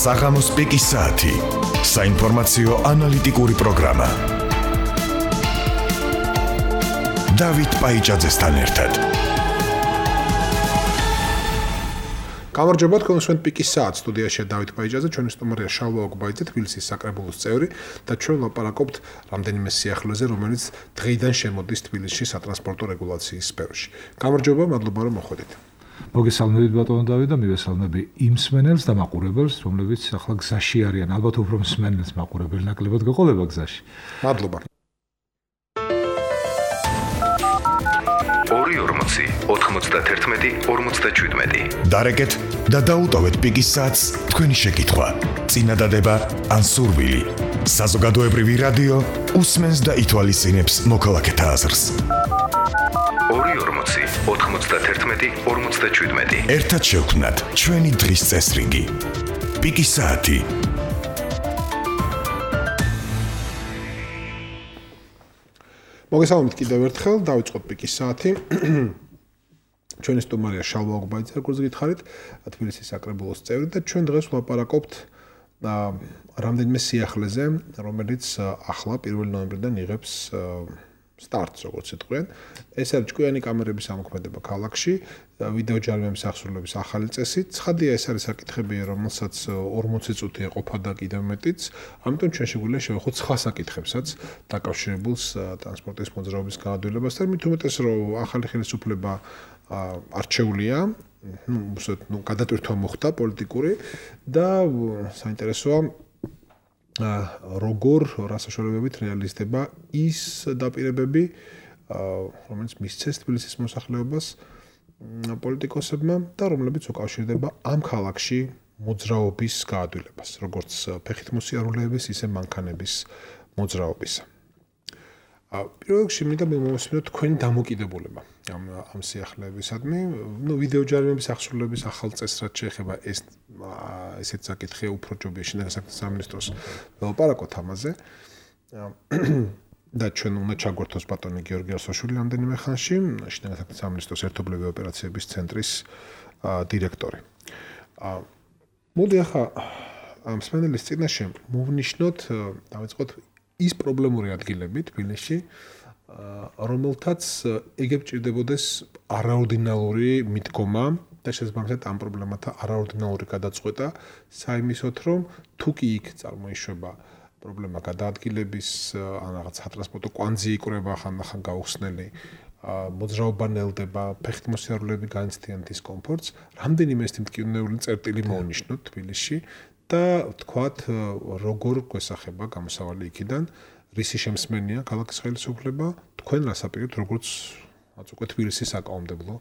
საღამოს პიკის საათი. საინფორმაციო ანალიტიკური პროგრამა. დავით პაიჭაძესთან ერთად. გამარჯობა, თქვენ უსმენთ პიკის საათს. სტუდიაში დავით პაიჭაძე, ჩვენი სტუმარია შალვა ოგბაიძე, თბილისის საკრებულოს წევრი და ჩვენ ვლაპარაკობთ რამდენიმე სიახლეზე, რომელიც დღეიდან შემოდის თბილისში სატრანსპორტო რეგულაციის სფეროში. გამარჯობა, მადლობა რომ მოხვედით. მოგესალმებით ბატონო დავით და მივესალმები იმ მსმენელს და მაყურებელს, რომლებიც ახლა გზაში არიან. ალბათ უფრო მსმენელს მაყურებელი ნაკლებად გეყოლება გზაში. მადლობა. 2:40-91-47. დარეკეთ და დაუტოვეთ პიკის საათს თქვენი შეკითხვა, წინადადება ან სურვილი. საზოგადოებრივი რადიო უსმენს და ითვალისწინებს მოქალაქეთა აზრს. 2:40-91-47. ერთად შევქმნათ ჩვენი დღის წესრიგი. პიკის საათი. მოგესალმებით კიდევ ერთხელ, დავიწყოთ პიკის საათი. ჩვენი სტუმარია შალვა ოგბაიძე, როგორც გითხარით, თბილისის საკრებულოს წევრი და ჩვენ დღეს ვლაპარაკობთ რამდენიმე სიახლეზე, რომელიც ახლა 1 ნოემბრიდან იღებს სტარტს, როგორც იტყვიან. ეს არის ჭკვიანი კამერების ამოქმედება ქალაქში, ვიდეო ჯარიმების აღსრულების ახალი წესი. ცხადია, ეს არის საკითხები, რომელსაც 40 წუთი ეყოფა და კიდევ მეტიც. ამიტომ ჩვენ შეგვიძლია შევეხოთ სხვა საკითხებსაც დაკავშირებულს ტრანსპორტის მოძრაობის განადგურებასთან, მით უმეტეს რომ ახალი ხელისუფლება არჩეულია, გადატვირთვა მოხდა პოლიტიკური და საინტერესოა როგორ რასაშორებებით რეალიზდება ის დაპირებები, რომელიც მისცეს თბილისის მოსახლეობას პოლიტიკოსებმა და რომლებიც უკავშირდება ამ ქალაქში მოძრაობის გაადვილებას, როგორც ფეხით მოსიარულეების, ისე მანქანების მოძრაობისა. პირველ რიგში მინდა მოვისმინოთ თქვენი დამოკიდებულება ამ სიახლეებისადმი. ვიდეო ჯარიმების აღსრულების ახალ წესს რაც შეეხება ესეც საკითხია უფრო ჯობია შინაგან საქმეთა სამინისტროს ველაპარაკოთ ამაზე. და ჩვენ უნდა ჩაგვერთოს ბატონი გიორგი ასოშვილი რამდენიმე ხანში, შინაგან საქმეთა სამინისტროს ერთობლივი ოპერაციების ცენტრის დირექტორი. მოდი ახლა ამ მსმენელის წინაშე მოვნიშნოთ, დავიწყოთ ის პრობლემური ადგილები თბილისში, რომელთაც ეგებ ჭირდებოდეს არაორდინალური მიდგომა და შესაბამისად ამ პრობლემათა არაორდინალური გადაწყვეტა, საიმისოთ, რომ თუ კი იქ წარმოიშვება პრობლემა გადაადგილების, ან რაღაც სატრანსპორტო კვანძი იკვრება ხანდახან გაუხსნელი, მოძრაობა ნელდება, ფეხით მოსიარულეები განიცდიან დისკომფორტს, რამდენიმე ეს მტკივნეული წერტილი მოვნიშნოთ თბილისში და თქვათ როგორ გვესახება გამოსავალი იქიდან, რისი შემსმენია ქალაქის ხელისუფლება, თქვენ რას აპირებთ როგორც უკვე თბილისის საკანონმდებლო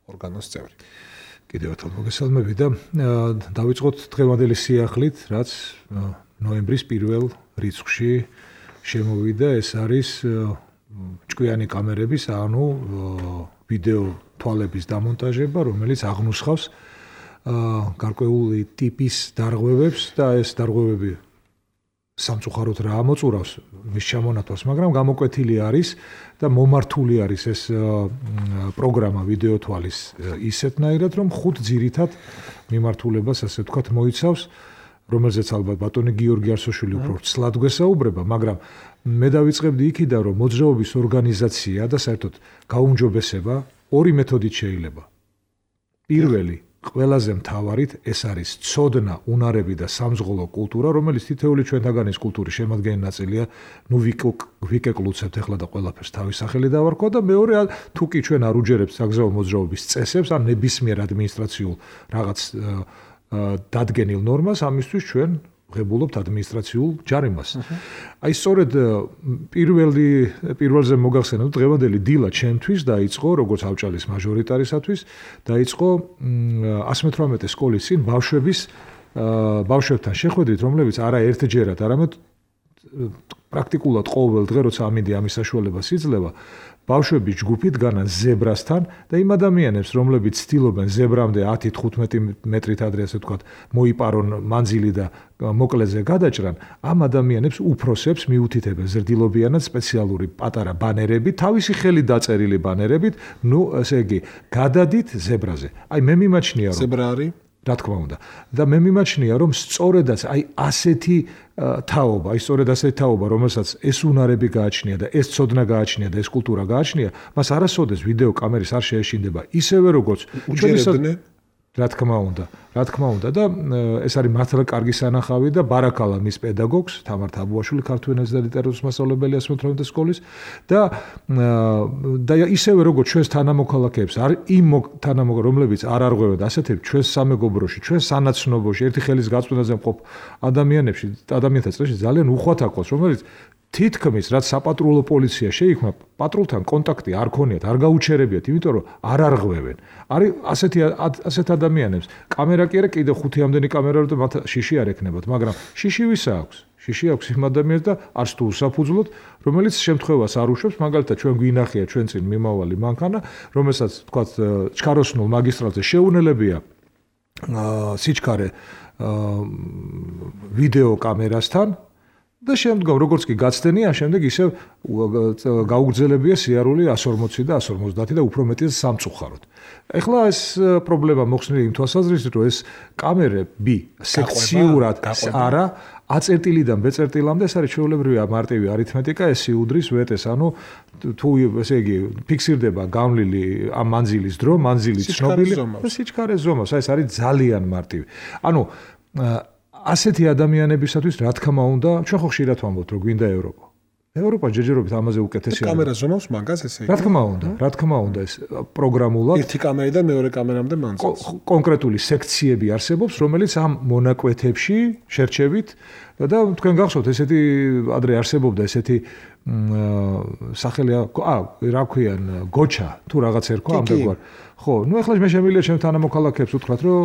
ორგანოს წევრი. კიდევ ერთხელ მოგესალმები და დავიწყოთ დღევანდელი სიახლით, რაც ნოემბრის 1 რიცხვში შემოვიდა, ეს არის ჭკვიანი კამერების, ანუ ვიდეო თვალების დამონტაჟება, რომელიც აღნუსხავს გარკვეული ტიპის დარღვევებს და ეს დარღვევები სამწუხაროდ რა ამოწურავს მის ჩამონათვალს, მაგრამ გამოკვეთილი არის და მომართული არის ეს პროგრამა ვიდეო თვალის ისეთნაირად, რომ 5 ძირითად მიმართულებას, ასე ვთქვათ, მოიცავს, რომელზეც ალბათ ბატონი გიორგი არსოშვილი უფრო ცლად გვესაუბრება, მაგრამ მე დავიწყებდი იქიდან, რომ მოძრაობის ორგანიზაცია და საერთოდ გაუმჯობესება ორი მეთოდით შეიძლება. პირველი ყველაზე მთავარით ეს არის ცოდნა, უნარები და სამზღოლო კულტურა, რომელიც თითოეული ჩვენთაგანის კულტურის შემადგენელი ნაწილია. ვიკეკლუცებთ ახლა და ყველაფერს თავის სახელი დავარქვა და მეორე თუ კი ჩვენ არ უჯერებთ საგზაო მოძრაობის წესებს, ან ნებისმიერ ადმინისტრაციულ რაღაც დადგენილ ნორმას, ამისთვის ჩვენ ღებულობთ ადმინისტრაციულ ჯარიმას. აი სწორედ პირველზე მოგახსენებთ, დღევანდელი დილა ჩემთვის დაიწყო, როგორც ავჭალის მაჟორიტარისათვის, დაიწყო 118 სკოლის წინ ბავშვებთან შეხვედრით, რომლებიც არა ერთჯერად, არამედ პრაქტიკულად ყოველ დღე, როცა ამინდი ამის საშუალებას იძლევა, ბავშვების ჯგუფი დგანან ზებრასთან და იმ ადამიანებს, რომლებიც ცდილობენ ზებრამდე 10-15 მეტრით ადრე, ასე ვთქვათ, მოიპარონ მანძილი და მოკლეზე გადაჭრან, ამ ადამიანებს უფროსებს მიუთითებენ ზრდილობიანად სპეციალური პატარა ბანერები, თავისი ხელით დაწერილი ბანერებით, ესე იგი, გადადით ზებრაზე. აი მე მიმაჩნია, რომ ზებრა არის რა თქმა უნდა. და მე მიმაჩნია, რომ სწორედაც აი ასეთი თაობა, რომელსაც ეს უნარები გააჩნია და ეს ცოდნა გააჩნია და ეს კულტურა გააჩნია, მას არასოდეს ვიდეო კამერის არ შეეშინდება ისევე როგორც უჯერებდნენ რა თქმა უნდა და ეს არის მართლა კარგი სანახავი და ბარაკალა მის პედაგოგს თამარ თაბუაშვილი ქართულ ენაზე და ლიტერატურის მასწავლებელი 18 სკოლის და ისევე როგორც ჩვენს თანამოქალაქეებს იმ თანამოქალაქეებს რომლებიც არ არღვევენ ასეთებს ჩვენს სამეგობროში ჩვენს სანაცნობოში ერთი ხელის გაწმენდაზე მყოფ ადამიანთა წრეში ძალიან უხვად აქვს რომელიც თითქმის რაც საპატრულო პოლიცია შეიქმნა პატრულთან კონტაქტი არ ქონიათ არ გაუჩერებიათ იმიტომ რომ არ არღვევენ არის ასეთ ადამიანებს კამერა კი არა კიდე 5 ამდენი კამერა რომ მათ შიში არ ექნებათ მაგრამ შიში ვისა აქვს შიში აქვს იმ ადამიანს და არც თუ უსაფუძვლოდ რომელიც შემთხვევას არ უშვებს მაგალითად ჩვენ გვინახია ჩვენ წინ მიმავალი მანქანა რომელსაც თქვათ ჩქაროსნულ მაგისტრალზე შეუნელებია სიჩქარე ვიდეო კამერასთან და შემდგომ როგორც კი გაცდენია შემდეგ ისევ გაუგრძელებია სიარული 140 და 150 და უფრო მეტი სამწუხაროდ. ეხლა ეს პრობლემა მოხსნილი იმ თვალსაზრისით რომ ეს კამერები სექციურად არა A-წერტილიდან B-წერტილამდე ეს არის ჩვეულებრივი მარტივი არითმეტიკა ეს იუდრის ვეტეს ანუ თუ ესე იგი ფიქსირდება გამლილი ამ მანძილის დრო მანძილი ცნობილი და სიჩქარე ზომას ეს არის ძალიან მარტივი. ანუ ასეთი ადამიანებისათვის რა თქმა უნდა ჩვენ ხო ხშირად ვამბობთ რომ გვინდა ევროპა ჯერჯერობით ამაზე უკეთესია კამერა ზომავს მაგას ესე იგი რა თქმა უნდა ეს პროგრამულად ერთი კამერიდან მეორე კამერამდე მანძილს კონკრეტული სექციები არსებობს რომელიც ამ მონაკვეთებში შერჩევით და თქვენ გახსოვთ ესეთი ადრე არსებობდა ესეთი სახელი რა ქვიან გოჩა თუ რაღაც ერქვა ამდენგვარ ხო ნუ ეხლა მე შემიძლია ჩემ თანამოქალაქეებს უთხრათ რომ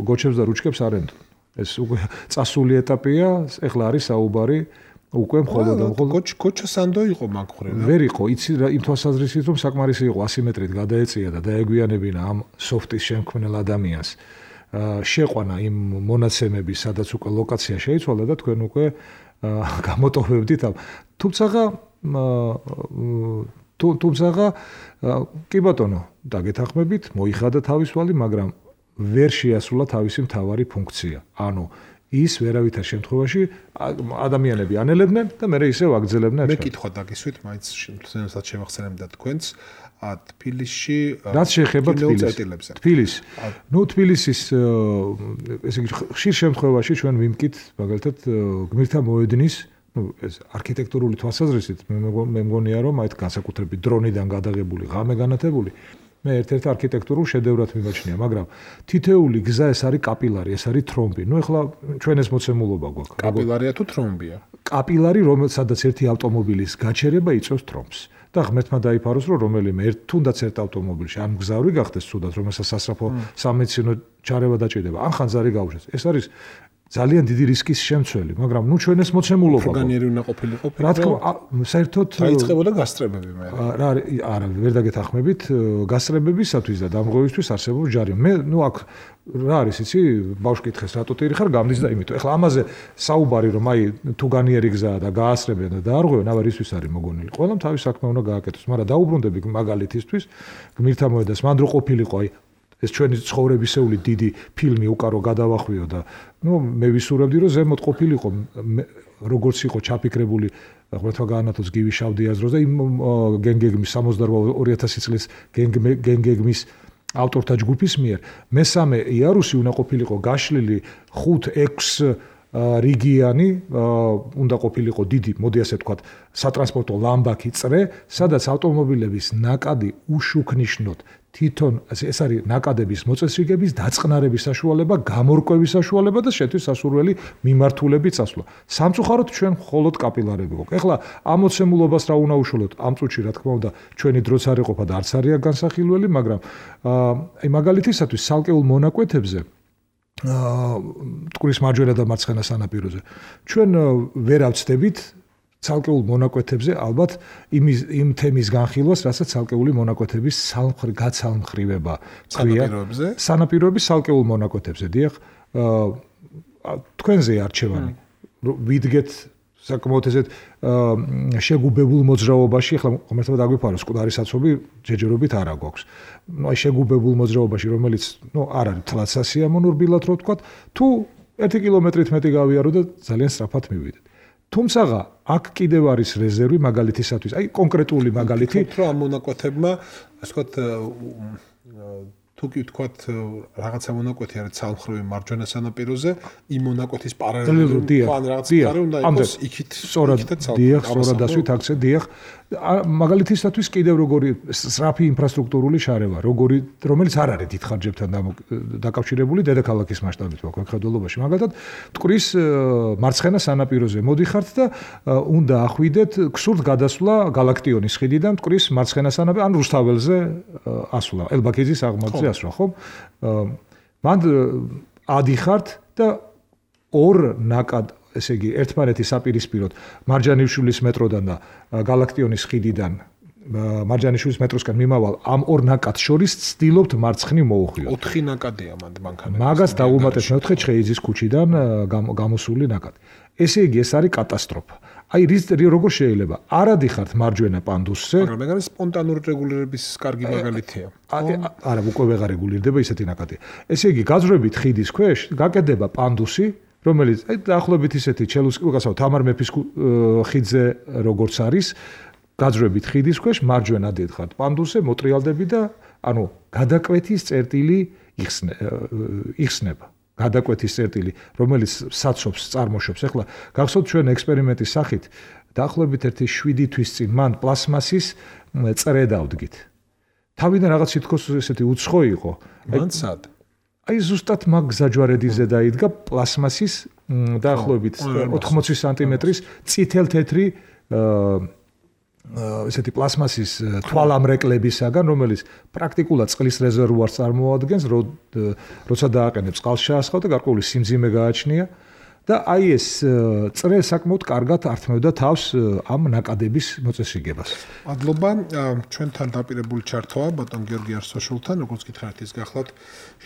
გოჩებს და რუჩკებს არ ენდო ეს უკვე წასული ეტაპია, ეხლა არის საუბარი უკვე მხოლოდ გოჩა სანდო იყო მაგხვრე რა. ვერ იყო, იცი იმ თვალსაზრისით რომ საკმარისი იყო ასიმეტრით გადაეწია და დაეგვიანებინა ამ სოფტის შემქმნელ ადამიანს. შეყვანა იმ მონაცემების, სადაც უკვე ლოკაცია შეიცვალა და თქვენ უკვე გამოტოვებდით ამ. თუმცა კი ბატონო, დაგეთანხმებით, მოიხადა თავისვალი, მაგრამ ვერ შეასრულა თავისი მთავარი ფუნქცია. ანუ ის ვერავითარ შემთხვევაში ადამიანები ანელებდნენ და მე ისევ აგძელებდნენ. მე კითხვა დაგისვით, მაინც შემთხვევაში შევახსენებ და თქვენს თბილისში რაც შეეხება თბილისს. ნუ თბილისის ესე იგი ხშირ შემთხვევაში ჩვენ ვიმკით მაგალითად გმირთა მოედნის ეს არქიტექტურული თვალსაზრისით მე მგონია რომ აი განსაკუთრებით დრონიდან გადაღებული ღამე განათებული მე ერთ-ერთ არქიტექტურულ შედევრად მიმაჩნია, მაგრამ თითეული გზა ეს არის კაპილარი, ეს არის თრომბი. ნუ ეხლა ჩვენ ეს მოცემულობა გვაქვს. კაპილარია თუ თრომბია? კაპილარი, რომელსაც ერთი ავტომობილის გაჩერება იწვევს თრომბს. და ღმერთმა დაიფაროს, რომ რომელიმე თუნდაც ერთ ავტომობილში ან მგზავრი გახდეს თუნდაც, რომელსაც სასწრაფო სამედიცინო ჩარევა დაჭირდება, ან ხანძარი გაუშვეს. ეს არის ძალიან დიდი რისკის შემცველი, მაგრამ ნუ ჩვენ ეს მოცემულობა ორგანიერი უნდა ყოფილიყო. რა თქმა უნდა, საერთოდ დაიწყებოდა გასწრებები მე. არა, ვერ დაგეთანხმებით, გასწრებებისათვის და დამღებისთვის არსებობს ჯარი. მე ნუ აქ რა არის იცი, ბავშვი კითხეს რატო ტირი ხარ, გამდის და იმიტომ. ეხლა ამაზე საუბარი რომ აი თუ განიერი გზაა და გაასწრებენ და დაარღვევენ, აბა რისთვის არის მოგონილი. ყველამ თავის საქმე უნდა გააკეთოს, მაგრამ დაუბრუნდები მაგალითისთვის გმირთა მოედანს, მან რო ყოფილიყო აი ეს ჩვენი ცხოვრებისეული დიდი ფილმი უკარო გადავახვიო და ნუ მე ვისურვებდი რომ ზემოთ ყოფილიყო როგორც იყო ჩაფიქრებული ღმერთმა გაანათოს გივი შავდიაზროს და იმ გენგეგმის 68 წლის გენგეგმის ავტორთა ჯგუფის მიერ მესამე იარუსი უნდა ყოფილიყო გაშლილი 5-6 რიგიანი უნდა ყოფილიყო დიდი მოდი ასე ვთქვათ სატრანსპორტო ლამბაქი წრე სადაც ავტომობილების ნაკადი უშუქნიშნოდ თვითონ ეს არის ნაკადების მოწესრიგების დაწყნარების საშუალება, გამორკვევის საშუალება და შეთვის სასურველი მიმართულები წასვლა. სამწუხაროდ ჩვენ მხოლოდ კაპილარები გვაქვს. ეხლა ამ მოცემულობას რა უნდა უშუალოდ ამ წუთში რა თქმა უნდა ჩვენი დროც არ იყოფა და არც არის განსახილველი, მაგრამ აი მაგალითისათვის ცალკეულ მონაკვეთებზე მტკვრის მარჯვენა და მარცხენა სანაპიროზე ჩვენ ვერ ავწდებით ცალკეულ მონაკვეთებზე ალბათ იმ თემის განხილვას, რასაც ცალკეული მონაკვეთების გაცალმხრივება ქვია. სანაპიროების ცალკეულ მონაკვეთებზე, დიახ, თქვენზე არჩევანი. ვიდგეთ საკმაოდ ესეთ შეგუბებულ მოძრაობაში, ახლა ღმერთმა დაგვიფარო, სკვდარის საცობი ჯეჯერობით არ აქვს. აი შეგუბებულ მოძრაობაში, რომელიც არ არის თლაც სიამოვნურბილად რო ვთქვათ, თუ 1 კილომეტრით მეტი გავიარო და ძალიან სწრაფად მივიდეთ. თუმცა აქ კიდევ არის რეზერვი მაგალითისათვის, აი კონკრეტული მაგალითი, რომ ამ მონაკვეთებმა, ასე ვთქვათ, თუ კი ვთქვათ, რაღაცა მონაკვეთი არის ცალმხრივი მარჯვენა სანაპიროზე, იმ მონაკვეთის პარალელურად ან რაღაც პარე უნდა იყოს იქით. სწორად დასვით აქცე დიახ. მაგალითისათვის კიდევ როგორი სწრაფი ინფრასტრუქტურული შარევა, რომელიც არ არის დიდ ხარჯებთან დაკავშირებული დედაქალაქის მასშტაბით მოქმედობაში. მაგალითად, მტკვრის მარცხენა სანაპიროზე მოდიხართ და უნდა ახვიდეთ ქსურთ გადასვლა გალაქტიონის ხიდიდან მტკვრის მარცხენა სანაპიროზე, ან რუსთაველზე ასვლა, ელბაქიძის აღმართზე ასვლა, ხო? მან ადიხართ და ორ ნაკად ესე იგი ერთმანეთის საპირისპიროდ მარჯანიშვილის მეტროდან და გალაქტიონის ხიდიდან მარჯანიშვილის მეტროსკენ მიმავალ ამ ორ ნაკადს შორის ცდილობთ მარცხნივ მოუხვიოთ. 4 ნაკადია მანქანა. მაგას დაუმატეთ მეოთხე ჩხეიძის ქუჩიდან გამოსული ნაკადი. ესე იგი ეს არის კატასტროფა. აი როგორ შეიძლება? არ ადიხართ მარჯვენა პანდუსზე. მაგრამ ეგ არის სპონტანური რეგულირების კარგი მაგალითია. არა, უკვე ვეღარ რეგულირდება ისეთი ნაკადია. ესე იგი გაძვრებით ხიდის ქვეშ გაკეთდება პანდუსი, რომელიც დაახლოებით ისეთი ჩელუსკასავ თამარ მეფის ხიდზე როგორც არის, გაძვრებით ხიდის ქვეშ მარჯვენა დედხართ პანდუსზე მოტრიალდები და ანუ გადაკვეთის წერტილი იხსნება. გადაკვეთის წერტილი, რომელიც საცობს, წარმოშობს. ახლა გახსოვთ ჩვენ ექსპერიმენტის სახით, დაახლოებით 7 თვის წინ მან პლასმასის წრე დავდგით. თავიდან რაღაც თითქოს ესეთი უცხო იყო. მან სად? აი ზუსტად მაგ გზაჯვარედინზე დაიდგა პლასმასის დაახლოებით 80 სანტიმეტრის წითელ-თეთრი ესეთი პლასმასის თვალამრეკლებისაგან, რომელიც პრაქტიკულად წყლის რეზერვუარს წარმოადგენს, როცა დააყენებს წყალს შეასხავ და გარკვეული სიმძიმე გააჩნია და აი ეს წრე საკმაოდ კარგად ართმევდა თავს ამ ნაკადების მოწესრიგებას. მადლობა ჩვენთან დაპირებული ჩართვა ბატონ გიორგი არსოშულთან, როგორც გითხარით ის გახლავთ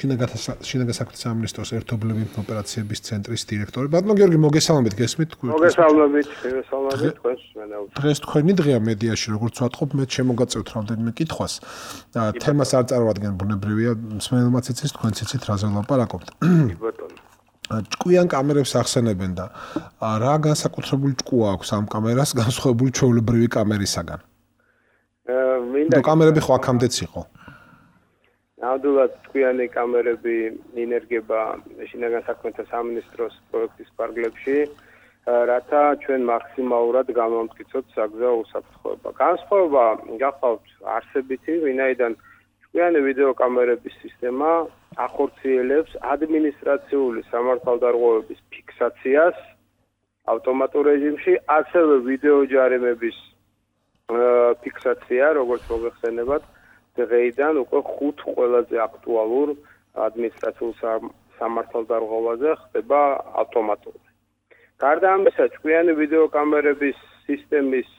შინაგან საქმეთა სამინისტროს ერთობლივი ოპერაციების ცენტრის დირექტორი. ბატონ გიორგი, მოგესალმებით, გესმით? მოგესალმებით თქვენს მენაუს. დღეს თქვენი დღეა მედიაში, როგორც ვატყობ, მე შემოგაწევთ რამდენიმე კითხვას. თემას არ წარმოადგენ, ბუნებრივია, მსმენელმაც იცის, თქვენც იცით, რაზე ვლაპარაკობთ. ბატონო. ჭკვიან კამერებს ახსენებენ და რა განსაკუთრებული ჭკუა აქვს ამ კამერას განსხვავებული ჩვეულებრივი კამერისაგან? მინდა კამერები ხო აქამდეც იყო? ნამდვილად ჭკვიანი კამერები ინერგება შინაგან საქმეთა სამინისტროს პროექტის პარკლებში, რათა ჩვენ მაქსიმალურად გამომტკიცოთ საგზაო უსაფრთხოება. განსხვავება გახავთ არსებითი, ვინაიდან ჭკვიანი ვიდეოკამერების სისტემა ახორციელებს ადმინისტრაციული სამართალდარღვევების ფიქსაციას ავტომატურ რეჟიმში, ასევე ვიდეო ჯარიმების ფიქსაცია, როგორც მოგეხსენებათ, დღეიდან უკვე 5 ყველაზე აქტუალურ ადმინისტრაციულ სამართალდარღვევაზე ხდება ავტომატურად. გარდა ამისა, ჭკვიანი ვიდეოკამერების სისტემის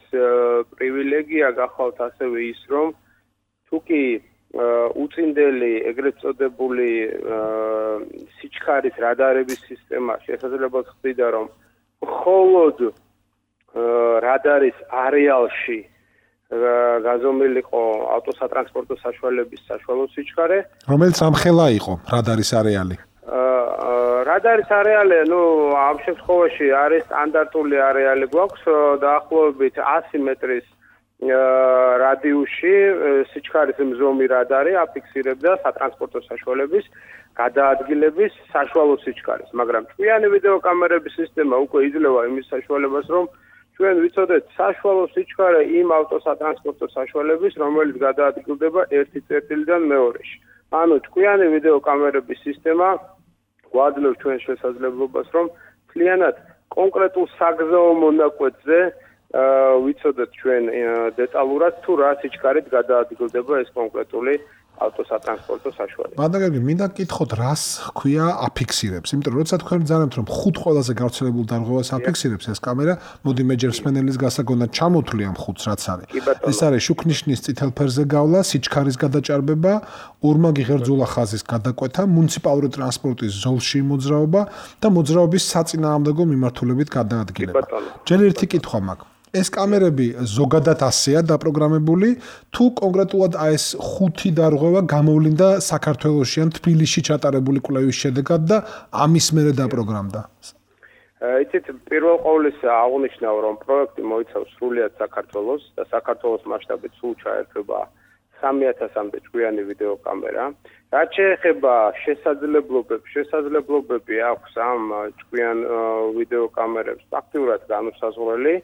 პრივილეგია გახავთ ასევე ის, რომ თუკი უწინდელი ეგრეთ წოდებული სიჩქარის რადარების სისტემა შესაძლებლად ხდება, რომ მხოლოდ რადარის არეალში გაზომილიყო ავტოსატრანსპორტო საშუალების საშუალო სიჩქარე, რომელიც ამხელა იყო რადარის არეალი. რადარის არეალი, ამ შემთხვევაში არის სტანდარტული არეალი გვაქვს, დაახლოებით 100 მეტრის რადიუსში სიჩქარის მზომი რადარი აფიქსირებდა სატრანსპორტო საშუალების გადაადგილების საშუალო სიჩქარეს, მაგრამ ჭკვიანი ვიდეოკამერების სისტემა უკვე იძლევა იმის საშუალებას, რომ ჩვენ ვიცოდეთ საშუალო სიჩქარე იმ ავტოსატრანსპორტო საშუალების, რომელიც გადაადგილდება ერთი წერტილიდან მეორეში. ანუ ჭკვიანი ვიდეოკამერების სისტემა გვაძლევს ჩვენ შესაძლებლობას, რომ მთლიანად კონკრეტულ საგზაო მონაკვეთზე ვიცოდეთ ჩვენ დეტალურად თუ რა სიჩქარით გადაადგილდება ეს კონკრეტული ავტოსატრანსპორტო საშუალება. ბატონო, მინდა გითხოთ, რას ჰქვია აფიქსირებს? იმიტომ რომ როცა თქვენ ბრძანებთ, რომ 5 ყველაზე გავრცელებულ დარღვევას აფიქსირებს ეს კამერა, მოდი მე ჯერ სმენელის გასაგონად ჩამოთვლი ამ 5-ს, რაც არის. ეს არის შუქნიშნის წითელ ფერზე გავლა, სიჩქარის გადაჭარბება, ორმაგი ღერძულა ხაზის გადაკვეთა, მუნიციპალური ტრანსპორტის ზოლში მოძრაობა და მოძრაობის საწინააღმდეგო მიმართულებით გადაადგილება. ჯერ ერთი კითხვა მაქვს. ეს კამერები ზოგადად ასეა დაპროგრამებული, თუ კონკრეტულად ეს 5 დარღვევა გამოვლინდა საქართველოში ან თბილისში ჩატარებული კვლევის შედეგად და ამის მერე დაპროგრამდა? იცით, პირველ ყოვლისა აღნიშნავ, რომ პროექტი მოიცავს სრულიად საქართველოს და საქართველოს მასშტაბით სულ ჩაერთვება 3000-მდე ჭკვიანი ვიდეოკამერა. რაც შეეხება შესაძლებლობები აქვს ამ ჭკვიან ვიდეოკამერებს ფაქტურად განუსაზღვრელი,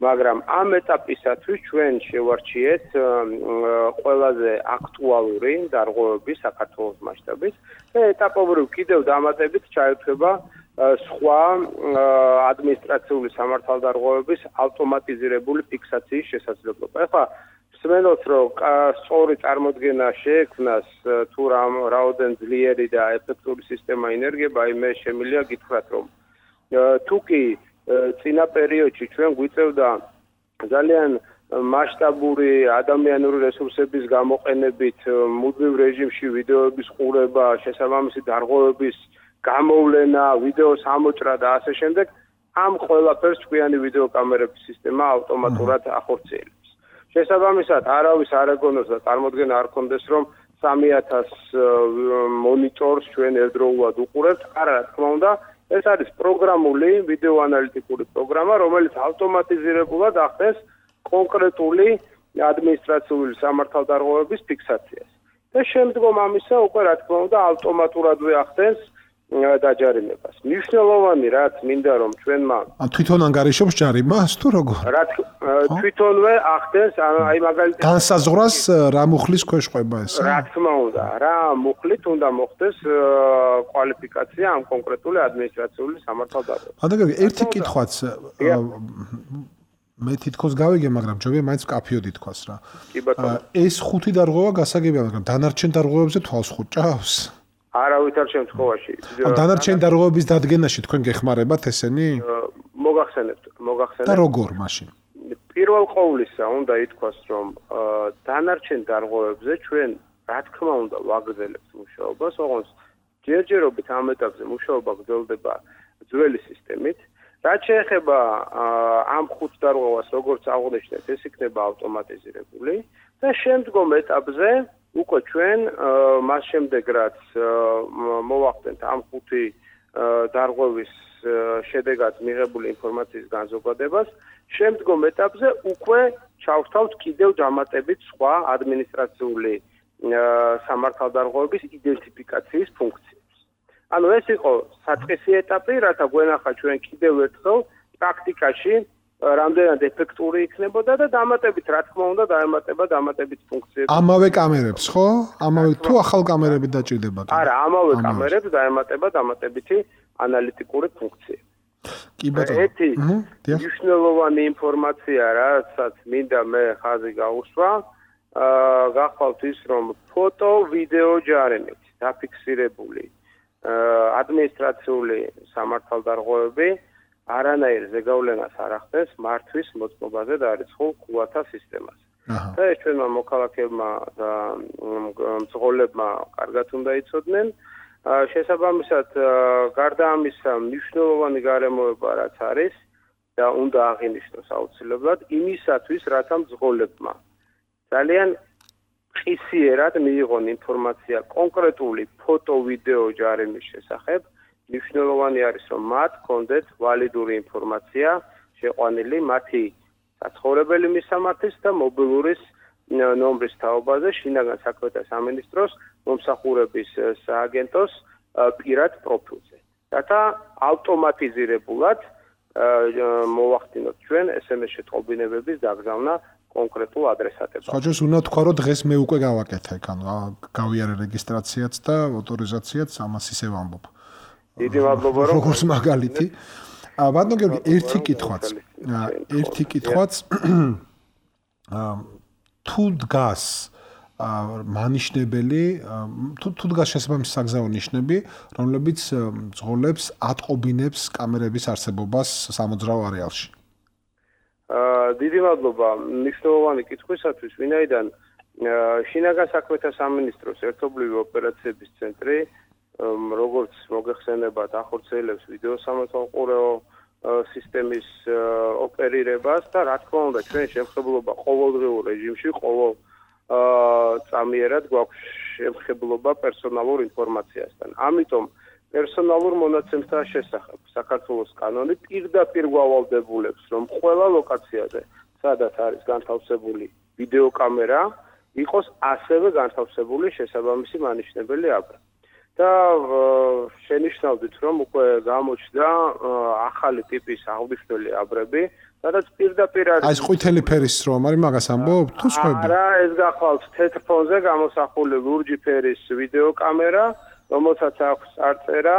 მაგრამ ამ ეტაპისათვის ჩვენ შევარჩიეთ ყველაზე აქტუალური დარღვევები საქართველოს მასშტაბით და ეტაპობრივ კიდევ დამატებით ჩაერთვება სხვა ადმინისტრაციული სამართალდარღვევების ავტომატიზირებული ფიქსაციის შესაძლებლობა. ეხლა მსმენელს რომ სწორი წარმოდგენა შეექმნას თუ რაოდენ ძლიერი და ეფექტური სისტემა ინერგება, მე შემიძლია გითხრათ, რომ თუ კი წინა პერიოდში ჩვენ გვიწევდა ძალიან მასშტაბური ადამიანური რესურსების გამოყენებით მუდმივ რეჟიმში ვიდეოების ყურება, შესაბამისი დარღვევების გამოვლენა, ვიდეოს ამოჭრა და ასე შემდეგ, ამ ყველაფერს ჭკვიანი ვიდეოკამერების სისტემა ავტომატურად ახორციელებს. შესაბამისად, არავის არ ეგონოს და წარმოდგენა არ ქონდეს, რომ 3000 მონიტორს ჩვენ ერთდროულად უყურებთ. არა, რა თქმა უნდა, ეს არის პროგრამული ვიდეოანალიტიკური პროგრამა, რომელიც ავტომატიზირებულად ახდენს კონკრეტული ადმინისტრაციული სამართალდარღვევების ფიქსაციას. და შემდგომ ამისა უკვე რა თქმა უნდა ავტომატურადვე ახდენს დაჯარიმებას. მნიშვნელოვანი რაც მინდა რომ ჩვენმა თვითონ ანგარიშობს ჯარიმას თუ როგორ? თვითონვე ახდენს, აი მაგალითად განსაზღვრას რა მუხლის ქვეშ ყვება ეს? რა თქმა უნდა, რა მუხლით უნდა მოხდეს კვალიფიკაცია ამ კონკრეტული ადმინისტრაციული სამართალდარღვევას. ბატონო, ერთი კითხვაც მე თითქოს გავიგე, მაგრამ ჯობია მაინც კაფიოდ ითქვას რა. კი ბატონო. ეს 5 დარღვევა გასაგებია, მაგრამ დანარჩენ დარღვევებზე თვალს ხუჭავს? არავითარ შემთხვევაში. დანარჩენ დარღვევების დადგენაში თქვენ გეხმარებათ ესენი? მოგახსენებთ. და როგორ მაშინ? პირველ ყოვლისა უნდა ითქვას, რომ დანარჩენ დარღვევებზე ჩვენ რა თქმა უნდა ვაგრძელებთ მუშაობას, ოღონდ ჯერჯერობით ამ ეტაპზე მუშაობა გრძელდება ძველი სისტემით. რაც შეეხება ამ 5 დარღვევას, როგორც აღნიშნეთ, ეს იქნება ავტომატიზირებული და შემდგომ ეტაპზე უკვე ჩვენ მას შემდეგ რაც მოვახდენთ ამ 5 დარღვევის შედეგად მიღებული ინფორმაციის განზოგადებას, შემდგომ ეტაპზე უკვე ჩავთავთ კიდევ დამატებით სხვა ადმინისტრაციული სამართალდარღვევების იდენტიფიკაციის ფუნქციებს. ანუ ეს იყო საწყისი ეტაპი, რათა გვენახა ჩვენ კიდევ ერთხელ პრაქტიკაში რამდენად ეფექტური იქნებოდა და დამატებით რა თქმა უნდა დაემატება დამატებით ფუნქციები. ამავე კამერებს, ხო? ამავე თუ ახალ კამერები დაჭირდება? არა, ამავე კამერებს დაემატება დამატებითი ანალიტიკური ფუნქციები. კი ბატონო. ერთი მნიშვნელოვანი ინფორმაცია, რასაც მინდა მე ხაზი გაუსვა, გახვალთ ის, რომ ფოტო, ვიდეო ჯარიმით დაფიქსირებული ადმინისტრაციული სამართალდარღვევები არანაირ ზეგავლენას არ ახდენს მართვის მოწყობაზე დაარიცხულ ყუათა სისტემაზე. და ეს ჩვენმა მოქალაქეებმა და მძღოლებმა კარგად უნდა იცოდნენ. შესაბამისად, გარდა ამისა, მნიშვნელოვანი გარემოება რაც არის და უნდა აღინიშნოს აუცილებლად იმისათვის, რათა მძღოლებმა ძალიან ყისიერად მიიღონ ინფორმაცია კონკრეტული ფოტო-ვიდეო ჯარიმის შესახებ. მნიშვნელოვანი არის, რომ მათ კონდეთ ვალიდური ინფორმაცია შეყვანილი მათი საცხოვრებელი მისამართის და მობილურის ნომრის თაობაზე შინაგან საქმეთა სამინისტროს მომსახურების სააგენტოს პირად პროფილზე. რათა ავტომატიზირებულად მოვახდინოთ ჩვენ SMS შეტყობინებების დაგზავნა კონკრეტულ ადრესატებად. სხვაჯერს უნდა თქვა, რომ დღეს მე უკვე გავაკეთე, ანუ გავიარე რეგისტრაციაც და ავტორიზაციაც, ამას ისე ვამბობ. დიდი მადლობა რომ როგორც მაგალითი. ბატონო გიორგი, ერთი კითხვაც თუ დგას მანიშნებელი თუ დგას შესაბამისი საგზაო ნიშნები, რომლებიც ძღოლებს ატყობინებს კამერების არსებობას სამოძრაო არეალში. დიდი მადლობა მნიშვნელოვანი კითხვისათვის, ვინაიდან შინაგან საქმეთა სამინისტროს ერთობლივი ოპერაციების ცენტრი როგორც მოგეხსენებათ, ახორციელებს ვიდეო სამართალყურეო სისტემის ოპერირებას და რა თქმა უნდა, ჩვენ შემხებლობა ყოველდღიურ რეჟიმში, ყოველ წამიერად გვაქვს შემხებლობა პერსონალურ ინფორმაციასთან. ამიტომ პერსონალურ მონაცემთა შესახებ საქართველოს კანონი პირდაპირ გვავალდებულებს, რომ ყველა ლოკაციაზე, სადაც არის განთავსებული ვიდეო კამერა, იყოს ასევე განთავსებული შესაბამისი მანიშნებელი აბრა. და შენიშნავდით, რომ უკვე გამოჩნდა ახალი ტიპის აღნიშნული აბრები, სადაც პირდაპირ არის ეს ყვითელი ფერის რომ არის მაგას ამბობ თუ სხვები? არა, ეს გახვალთ თეთრ ფონზე გამოსახული ლურჯი ფერის ვიდეო კამერა, რომელსაც აქვს წარწერა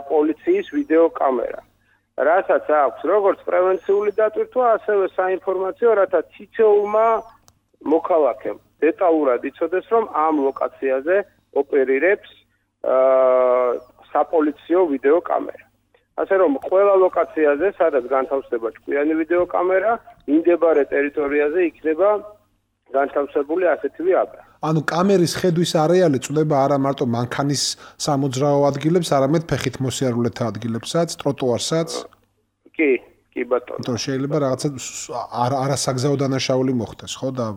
პოლიციის ვიდეო კამერა. რასაც აქვს როგორც პრევენციული დატვირთვა, ასევე საინფორმაციო, რათა თითოეულმა მოქალაქემ დეტალურად იცოდეს, რომ ამ ლოკაციაზე ოპერირებს საპოლიციო ვიდეო კამერა. ასე რომ ყველა ლოკაციაზე, სადაც განთავსდება ჭკვიანი ვიდეო კამერა, მიმდებარე ტერიტორიაზე იქნება განთავსებული ასეთივე აბრა. ანუ კამერის ხედვის არეალი წდება არა მარტო მანქანის სამოძრაო ადგილებს, არამედ ფეხით მოსიარულეთა ადგილებსაც, ტროტუარსაც. კი ბატონო. თორე შეიძლება რაღაცა არასაგზაო დანაშაული მოხდეს, ხო და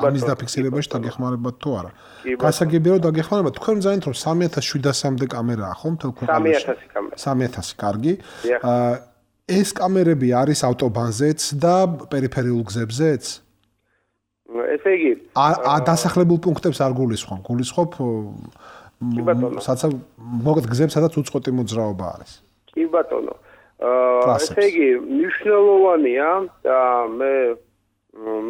ამის დაფიქსირებაში დაგეხმარებათ თუ არა. გასაგებია რომ დაგეხმარებათ, თქვენ მზადეთ რომ 3700-მდე კამერაა, ხო, მთელ ქვეყანაში? 3000 კამერა. 3000, კარგი. ეს კამერები არის ავტობანზეც და პერიფერიულ გზებზეც? ესე იგი, დასახლებულ პუნქტებს არ გულისხმობ, გულისხმობ საცა მოგეთ გზებს, სადაც უწყვეტი მოძრაობა არის. კი ბატონო. ესე იგი, მნიშვნელოვანია და მე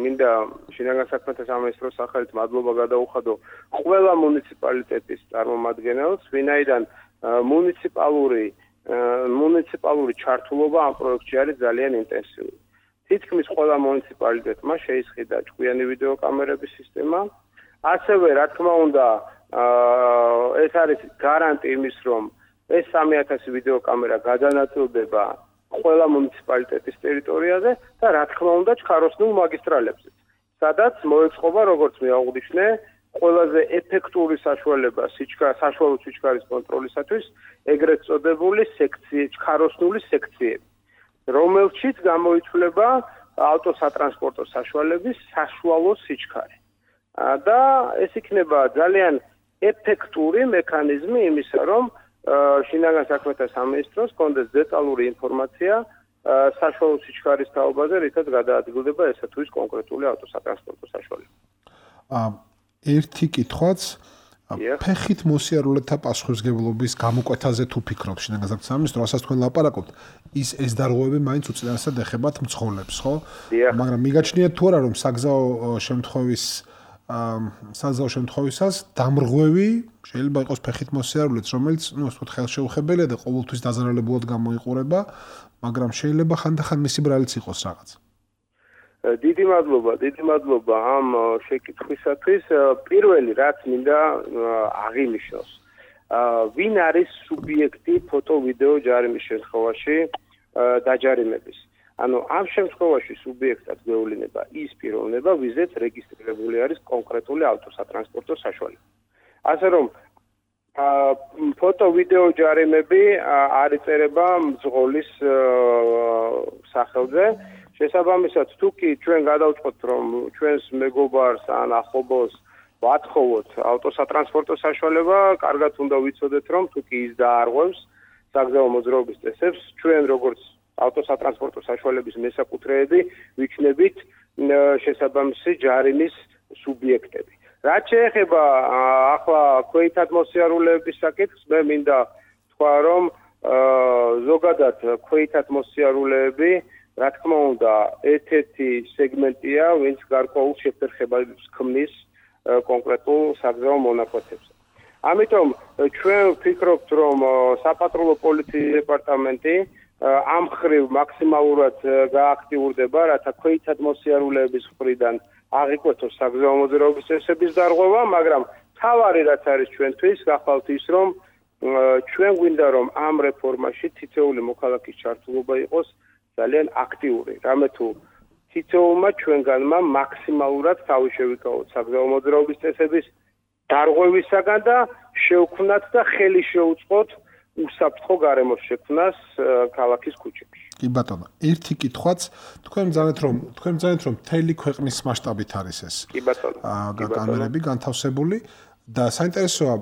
მინდა შინაგან საქმეთა სამინისტროს სახელით მადლობა გადაუხადო ყველა მუნიციპალიტეტის წარმომადგენელს, ვინაიდან მუნიციპალური ჩართულობა ამ პროექტში არის ძალიან ინტენსიური. თითქმის ყველა მუნიციპალიტეტმა შეისყიდა ჭკვიანი ვიდეო კამერების სისტემა. ასევე, რა თქმა უნდა, ეს არის გარანტი იმის, რომ ეს 3000 ვიდეო კამერა გადანაწილდება ყველა მუნიციპალიტეტის ტერიტორიაზე და რა თქმა უნდა ჩქაროსნულ მაგისტრალებზე, სადაც მოეწყობა, როგორც მე აღვნიშნე, ყველაზე ეფექტური საშუალება საშუალო სიჩქარის კონტროლისათვის, ეგრეთ წოდებული ჩქაროსნული სექციები, რომელშიც გამოიცვლება ავტოსატრანსპორტო საშუალების საშუალო სიჩქარე. და ეს იქნება ძალიან ეფექტური მექანიზმი იმისა, რომ შინაგან საქმეთა სამინისტროს კონდეს დეტალური ინფორმაცია საშუალო სიჩქარის თაობაზე, რითაც გადაადგილდება ესა თუ ის კონკრეტული ავტოსატრანსპორტო საშუალება. ერთი კითხვაც ფეხით მოსიარულეთა პასუხისმგებლობის გამოკვეთაზე თუ ფიქრობ შინაგან საქმეთა სამინისტრო, რასაც თქვენ ლაპარაკობთ, ეს დარღვევები მაინც უწინარესად ეხებათ მძღოლებს, ხო? მაგრამ მიგაჩნიათ თუ არა, რომ საგზაო შემთხვევისას დამრღვევი შეიძლება იყოს ფეხით მოსიარულეც, რომელიც, ასე ვთქვათ, ხელშეუხებელია და ყოველთვის დაზარალებულად გამოიყურება, მაგრამ შეიძლება ხანდახან მისი ბრალიც იყოს რაღაც. დიდი მადლობა ამ შეკითხვისათვის. პირველი რაც მინდა აღინიშნოს, ვინ არის სუბიექტი ფოტო-ვიდეო ჯარიმის შემთხვევაში დაჯარიმების. ანუ ამ შემთხვევაში სუბიექტად გვეულინება ის პიროვნება, ვიზეც რეგისტრირებული არის კონკრეტული ავტოსატრანსპორტო საშუალება. ასე რომ ფოტო-ვიდეო ჯარიმები არ იწერება მძღოლის სახელზე. შესაბამისად, თუ კი ჩვენ გადავწყვეტთ, რომ ჩვენს მეგობარს ან ახლობელს ვათხოვოთ ავტოსატრანსპორტო საშუალება, კარგად უნდა ვიცოდეთ, რომ თუ კი ის დაარღვევს საგზაო მოძრაობის წესებს, ჩვენ როგორც ავტოსატრანსპორტო საშუალების მესაკუთრეები ვიქნებით შესაბამისი ჯარიმის სუბიექტები. რაც შეეხება ახლა ქვეითად მოსიარულეების საკითხს, მე მინდა თქვა, რომ ზოგადად ქვეითად მოსიარულეები, რა თქმა უნდა, ერთ-ერთი სეგმენტია, ვინც გარკვეულ შეფერხებას ქმნის კონკრეტულ საგზაო მონაკვეთებზე. ამიტომ ჩვენ ვფიქრობთ, რომ საპატრულო პოლიციის დეპარტამენტი ამ ხრივ მაქსიმალურად გააქტიურდება, რათა ქვეითად მოსიარულეების მხრიდან აღიკვეთოს საგზაო მოძრაობის წესების დარღვევა, მაგრამ თავარი რაც არის ჩვენთვის, გახვალთ ის, რომ ჩვენ გვინდა რომ ამ რეფორმაში თითოეული მოქალაქის ჩართულობა იყოს ძალიან აქტიური. რამე თუ თითოეულმა ჩვენგანმა მაქსიმალურად თავი შევიკავოთ საგზაო მოძრაობის წესების დარღვევისაგან და შევქმნათ და ხელი შეუწყოთ უსაფრთხო გარემოს შექმნას ქალაქის ქუჩებში. კი ბატონო, ერთი კითხვაც თქვენ მძანეთ რომ მთელი ქვეყნის მასშტაბით არის ეს. კი ბატონო. კამერები განთავსებული და საინტერესოა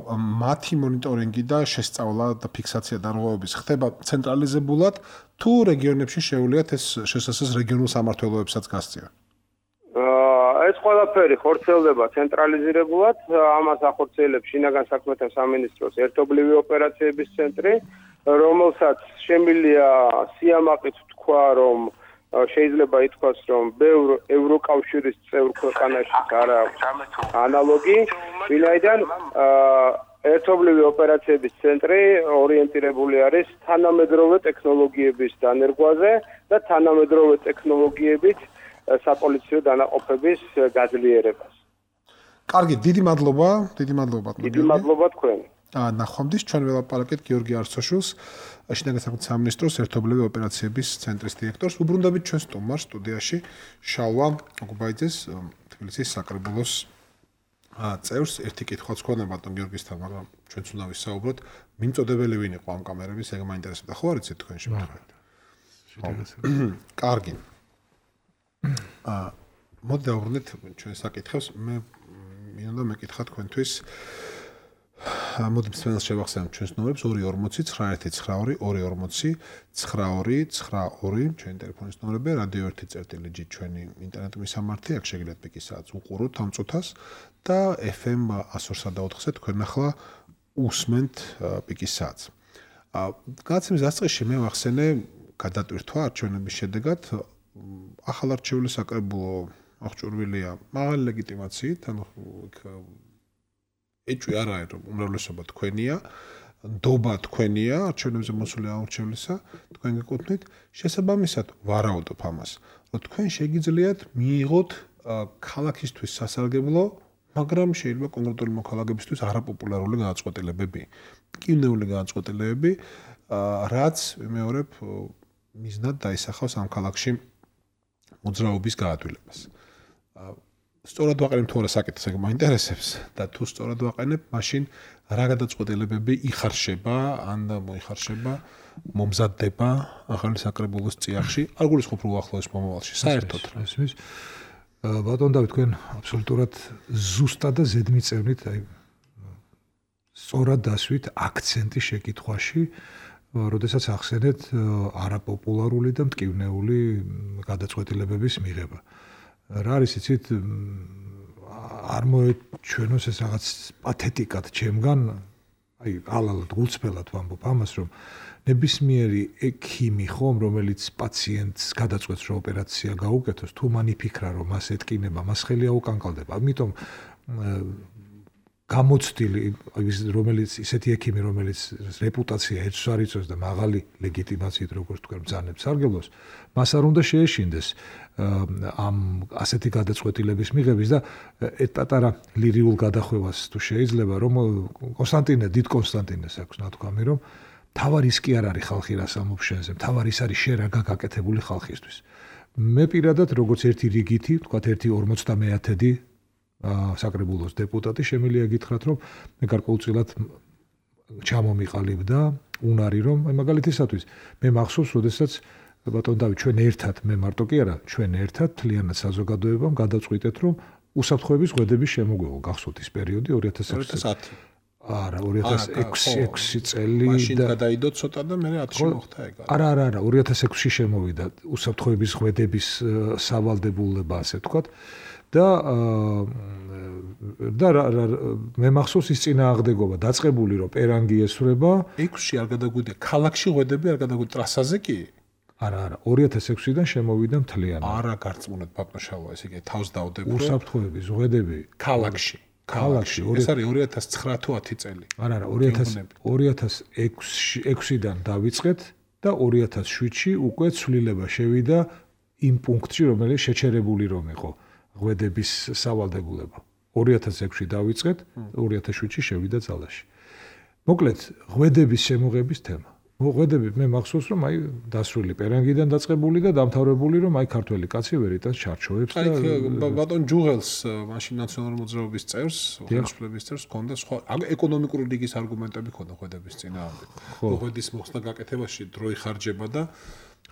მათი მონიტორინგი და შესწავლა და ფიქსაცია დარღვევების ხდება ცენტრალიზებულად თუ რეგიონებში შეუძლიათ ეს შესაძლოა რეგიონულ სამმართველოებსაც გასწიონ. ეს ყველაფერი ხორციელდება ცენტრალიზირებულად, ამას ახორციელებს შინაგან საქმეთა სამინისტროს ერთობლივი ოპერაციების ცენტრი, რომელსაც შემიძლია სიამაყით თქვა, რომ შეიძლება ითქვას, რომ ბევრ ევროკავშირის წევრ ქვეყანაში არ აქვს ანალოგი, ვინაიდან ერთობლივი ოპერაციების ცენტრი ორიენტირებული არის თანამედროვე ტექნოლოგიების დანერგვაზე და თანამედროვე ტექნოლოგიებით საპოლიციო დანაყოფების გაძლიერებას. კარგი, დიდი მადლობა ბატონო. დიდი მადლობა თქვენ. ნახვამდის ჩვენ ველაპარაკეთ გიორგი არცოშვილს, შინაგან საქმეთა სამინისტროს ერთობლივი ოპერაციების ცენტრის დირექტორს. უბრუნდებით ჩვენ სტუდიაში შალვა გუბაიძეს, თბილისის საკრებულოს წევრს. ერთი კითხვაც ქონდა ბატონ გიორგისთან, მაგრამ ჩვენც უნდა ვისაუბროთ, მიმწოდებელი ვინ იყო ამ კამერების, ეგ მაინტერესებდა. ხო არიცით თქვენ შემთხვევით? კარგი. მოდი დავუბრუნდეთ ჩვენ საკითხებს. მე მინდა მეკითხა თქვენთვის მოდი მსმენელს შევახსენებ ჩვენს ნომრებს 240-1922-92-92 ჩვენი ტელეფონის ნომრები, რადიო 1.წერტილი-G ჩვენი ინტერნეტ მისამართი, აქ შეგიძლიათ პიკისააც უყუროთ ამ წუთას და FM 102.4-ზე თქვენ ახლა უსმენთ პიკისააც. გადაცემის დასაწყისში მე ვახსენე გადატვირთვა არჩევნების შედეგად ახალ არჩეული საკრებულო აღჭურვილია მაღალი ლეგიტიმაციით, ანუ ეჭვი არ არის რომ უმრავლესობა თქვენია, ნდობა თქვენია არჩევნებზე მოსული არჩევლისა, თქვენ გეკუთვნით, შესაბამისად ვარაუდობ ამას, რომ თქვენ შეგიძლიათ მიიღოთ ქალაქისთვის სასარგებლო, მაგრამ შეიძლება კონკრეტული მოქალაქეებისთვის არაპოპულარული განაწყვეტილებები, კინეული განაწყვეტილებები, რაც მეორებ მიზნად დაისახავს ამ ქალაქში მოძრაობის გაადვილებას. სწორად ვაყენებ თუ არა საკითხს, ეგ მაინტერესებს და თუ სწორად ვაყენებ, მაშინ რა გადაწყვეტილებები იხარშება, ან მოიხარშება, მომზადდება ახალი საკრებულოს წიაღში, არ გულისხმობ რომ უახლოეს მომავალში, საერთოდ. ესმის ბატონ დავით, თქვენ აბსოლუტურად ზუსტად და ზედმიწევნით, აი სწორად დასვით აქცენტი შეკითხვაში, როდესაც ახსენეთ არაპოპულარული და მტკივნეული გადაწყვეტილებების მიღება. რა არის იცით, არ მოეჩვენოს ეს რაღაც პათეტიკად ჩემგან, აი ალალად გულწრფელად ვამბობ ამას, რომ ნებისმიერი ექიმი ხომ, რომელიც პაციენტს გადაწყვეტს, რომ ოპერაცია გაუკეთოს, თუ მან იფიქრა, რომ მას ეთკინება, მას ხელი აუკანკალდება. ამიტომ გამოცდილი, რომელიც ისეთი ექიმი, რომელიც რეპუტაცია ეჭვს არ იწვევს და მაღალი ლეგიტიმაციით, როგორც თქვენ ბრძანებთ სარგებლოს, მას არ უნდა შეეშინდეს ამ ასეთი გადაწყვეტილების მიღების და პატარა ლირიულ გადახვევას თუ შეიძლება, რომ დიდ კონსტანტინეს აქვს ნათქვამი, რომ თავარი ის კი არ არის ხალხი რას ამბობს შენზე, თავარი ის არის შენ რა გაკეთებული ხალხისთვის. მე პირადად როგორც ერთი რიგითი, თქვათ 1/50 საკრებულოს დეპუტატი შემიძლია გითხრათ, რომ მე გარკვეულწილად ჩამომიყალიბდა უნარი, რომ აი მაგალითისათვის მე მახსოვს, როდესაც ბატონ დავით, ჩვენ ერთად, მე მარტო კი არა, ჩვენ ერთად თლიანად საზოგადოებამ გადავწყვიტეთ, რომ უსაფრთხოების ღვედების შემოგვეღო, გახსოვთ ის პერიოდი 2010. არა, 2006 წელი მაშინ გადაიდო ცოტა და მე 10-ში მოხდა ეგ. არა, 2006-ში შემოვიდა უსაფრთხოების ღვედების სავალდებულება, ასე ვთქვათ. და მე მახსოვს ის წინააღმდეგობა დაწყებული რომ პერანგი ესვრება 6-ში არ გადაგვიდა ქალაქში ღვედები არ გადაგვიდა ტრასაზე კი არა 2006-დან შემოვიდა მთლიანად არა გარწმუნეთ ბატონშალვა ესე იგი თავს დავდებო უსაფრთხოების ღვედები ქალაქში ეს არის 2009 თუ 10 წელი არა 2006-დან დავიწყეთ და 2007-ში უკვე ცვლილება შევიდა იმ პუნქტში, რომელიც შეჩერებული რომ იყო ღვედების სავალდებულება. 2006-ში დავიწყეთ, 2007-ში შევიდა ძალაში. მოკლედ, ღვედების შემოღების თემა. ღვედები მე მახსოვს რომ აი დასრული პერანგიდან დაწყებული და დამთავრებული რომ აი ქართველი კაცი ვერ იტანს ჩარჩოებს და ბატონ ჯუღელს მაშინ ნაციონალური მოძრაობის წევრს, ხელისუფლების წევრს ჰქონდა სხვა ეკონომიკური ლიგის არგუმენტები ჰქონდა ღვედების წინააღმდეგ. ღვედის მოხსნა გაკეთებაში დრო იხარჯება და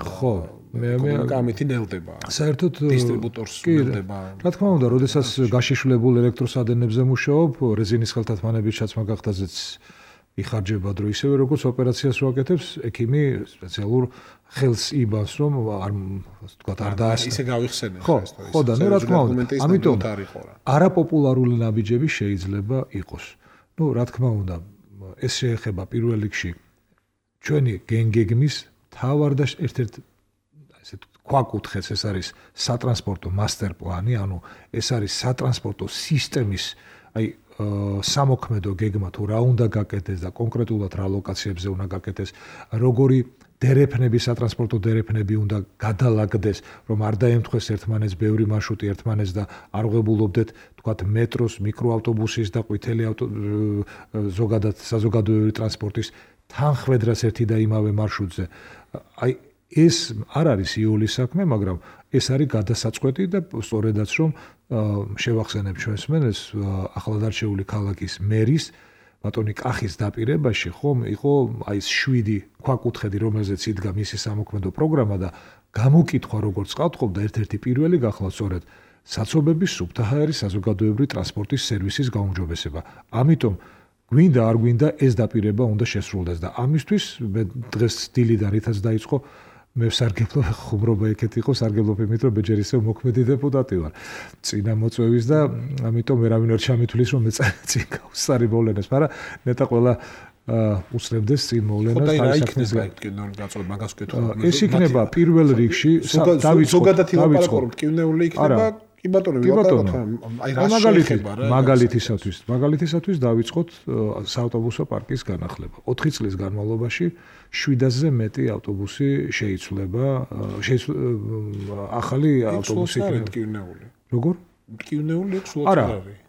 ხო, მე გამეთი ნელდება. საერთოდ დისტრიბუტორს ნელდება. რა თქმა უნდა, როდესაც გაშიშვლებულ ელექტროსადენებზე მუშაობ, რეზინის ხელთათმანების ჩაცმა გახდაზეც იხარჯება დრო ისევე როგორც ოპერაციას ვაკეთებს, ექიმი სპეციალურ ხელს იბანს რომ არ თქვა არ დაასწრა. ისე გავიხსენე ხო, ხო და რა თქმა უნდა, ამიტომ არაპოპულარული ნაბიჯები შეიძლება იყოს. ნუ რა თქმა უნდა, ეს შეეხება პირველ რიგში ჩვენი გენგეგმის თავარ და ერთ-ერთ ესე ქვაკუთხედს, ეს არის სატრანსპორტო მასტერ პლანი, ანუ ეს არის სატრანსპორტო სისტემის აი სამოქმედო გეგმა თუ რა უნდა გაკეთდეს და კონკრეტულად რა ლოკაციებზე უნდა გაკეთდეს, როგორი დერეფნები, სატრანსპორტო დერეფნები უნდა გადალაგდეს, რომ არ დაემთხვეს ერთმანეთს ბევრი მარშრუტი ერთმანეთს და არ ვღებულობდეთ, თქვათ, მეტროს, მიკროავტობუსის და ყვითელი ზოგადად საზოგადოებრივი ტრანსპორტის თანხმედრას ერთი და იმავე მარშრუტზე. აი ეს არ არის იოლის საქმე, მაგრამ ეს არის გადასაწყვეტი და სწორედაც რომ შევახსენებ ჩვენს მენეს ახლად არჩეული ქალაქის მერის ბატონი კახის დაპირებაში ხომ იყო აი ეს 7 ქვაკუთხედი, რომელზეც იდგა მისი სამოქმედო პროგრამა და გამოკითხვა როგორც ყავთხოვდა ერთ-ერთი პირველი გახლავთ სწორედ საცობების სუფთა ჰაერის საზოგადოებრივი ტრანსპორტის სერვისის გაუმჯობესება. ამიტომ გვინდა არ გვინდა ეს დაპირება უნდა შესრულდეს და ამისთვის მე დღეს დილიდან რითაც დაიწყო მე სარგებლო ხუმრობა იქეთ იყო სარგებლობ იმით რომ ბეჯერ ისევ მოქმედი დეპუტატი ვარ წინა მოწვევის და ამიტომ ვერავინ არ ჩამithulis რომ მე წინ გავსარი მოვლენებს მაგრამ ნეტა ყველა უსწრებდეს წინ მოვლენას და იქნება კინოური გაწოდება მაგას ვკითხო ეს იქნება პირველ რიგში ზოგადად ილაპარაკო რომ კინოური იქნება კი ბატონო აი რა შეიძლება რა მაგალითისათვის დავიწყოთ საავტობუსო პარკის განახლება 4 წლის განმავლობაში 700-ზე მეტი ავტობუსი შეიცვლება ახალი ავტობუსი კინოური როგორ კინოური სულაც არის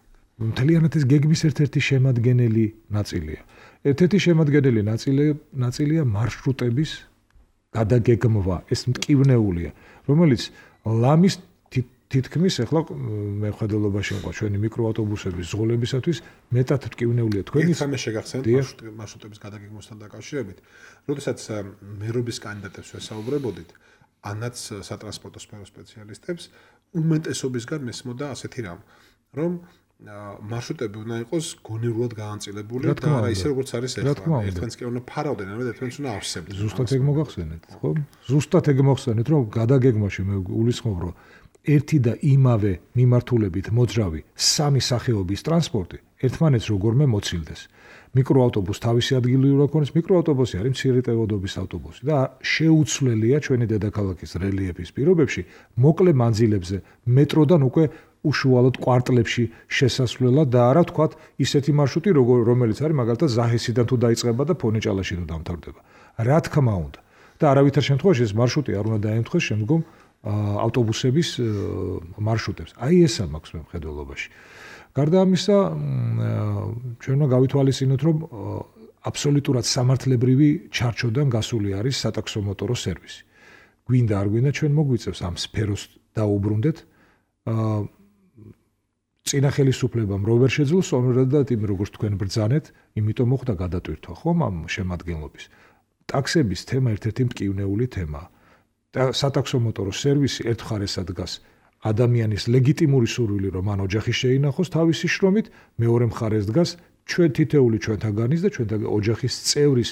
მთლიანად ეს გეგმის ერთ-ერთი შემადგენელი ნაწილია ერთ-ერთი შემადგენელი ნაწილია მარშრუტების გადაგეგმვა ეს მტკივნეულია რომელიც ლამის თითქმის ახლა მეხვედელობაში იყო ჩვენი მიკროავტობუსების ზღოლებისათვის მეტად მტკივნეულია თქვენი სამე შეგახსენეთ მარშრუტების გადაგეგმვასთან დაკავშირებით როდესაც მერობის კანდიდატებს ვესაუბრებოდით ანაც სატრანსპორტო სფეროს სპეციალისტებს უმეტესობისგან მესმოდა ასეთი რამ რომ მარშრუტები უნდა იყოს გონივრულად გაანწილებული და არა ისე როგორც არის ახლა ერთმანეთს კი უნდა ფარავდნენ ან ერთმანეთს უნდა ავსებდნენ ზუსტად ეგ მოგახსენეთ ხო ზუსტად ეგ მოგახსენეთ რომ გადაგეგმაში მე გულისხმობ რომ ერთი და იმავე მიმართულებით მოძრავი სამი სახეობის ტრანსპორტი ერთმანეთს როგორმე მოცილდეს. მიკროავტობუსს თავისი ადგილი უნდა ქონდეს, მიკროავტობუსი არის მცირე ტევადობის ავტობუსი და შეუცვლელია ჩვენი დედაქალაქის რელიეფის პირობებში მოკლე მანძილებზე მეტროდან უკვე უშუალოდ კვარტლებში შესასვლელად და არა თქვათ ისეთი მარშრუტი რომელიც არის მაგალითად ზაჰესიდან თუ დაიწყება და ფონეჭალაში თუ დამთავრდება. რა თქმა უნდა და არავითარ შემთხვევაში ეს მარშრუტი არ უნდა დაემთხვეს შემდგომ ავტობუსების მარშრუტებს. აი ესა მაქვს მე მხედველობაში. გარდა ამისა, ჩვენ უნდა გავითვალისწინოთ, რომ აბსოლუტურად სამართლებრივი ჩარჩოდან გასული არის სატაქსომოტორო სერვისი. გვინდა არ გვინდა ჩვენ მოგვიწევს ამ სფეროს დაუბრუნდეთ. წინა ხელისუფლებამ რო ვერ შეძლო სწორედად იმ როგორც თქვენ ბრძანეთ, იმიტომ მოხდა გადატვირთვა ხომ ამ შემადგენლობის. ტაქსების თემა ერთ-ერთი მტკივნეული თემაა. და სატაქსომოტორო სერვისი ერთხარესად დგას ადამიანის ლეგიტიმური სურვილი რომ მან ოჯახი შეინახოს თავისი შრომით, მეორე მხარეს დგას ჩვენ თითეული ჩვენთაგანის და ჩვენთაგან ოჯახის წევრის